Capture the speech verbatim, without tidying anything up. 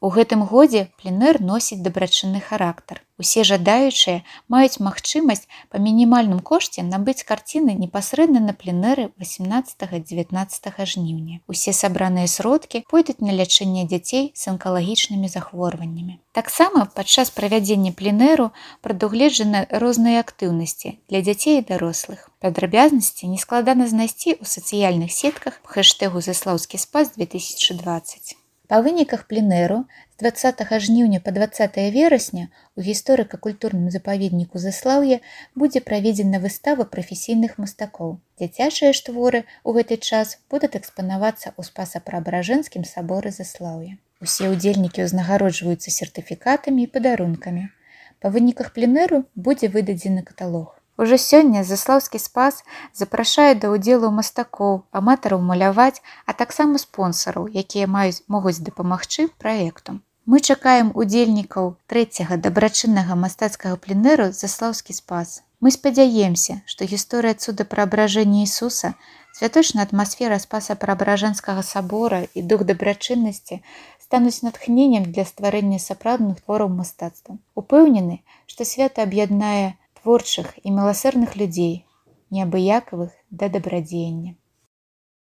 У гэтым годзе пленэр носіць дабрачынны характар. Усе жадаючыя маюць магчымасць па мінімальным кошце набыць карціны непасрэдна на пленэры васямнаццатага-дзевятнаццатага жніўня. Усе сабраныя сродкі пойдуць на лячэнне дзяцей з анкалагічнымі захворваннямі. Таксама падчас правядзення пленэру прадугледжаны розныя актыўнасці для дзяцей і дарослых. Падрабязнасці нескладана знайсці ў сацыяльных сетках па хэштэгу «Заслаўскі спас две тысячи двадцать». Па выніках пленэру з дваццатага жніўня па дваццатае верасня у гісторыка-культурным запаведніку Заслаўе будзе праведзена выстава прафесійных мастакоў. Дзіцячыя ж творы ў гэты час будуць экспанавацца ў Спаса-Преабражэнскім саборы Заслаўя. Усе ўдзельнікі ўзнагароджваюцца сертыфікатамі і падарункамі. Па выніках пленэру будзе выдадзены каталог. Ужо сёння Заслаўскі спас запрашае да ўдзелу мастакоў, аматараў маляваць, а таксама спонсараў, якія маюць могуць дапамагчы праекту. Мы чакаем удзельнікаў трэцяга дабрачыннага мастацкага пленэру «Заслаўскі спас». Мы спадзяемся, што гісторыя цудапраабражэння Ісуса, святочная атмасфера Спаса-Преабражэнскага сабора і дух дабрачыннасці стануць натхненнем для стварэння сапраўдных твораў мастацтва. Упэўнены, што свята аб'яднае творчых і міласэрных людзей, неабыякавых да дабрадзеяння.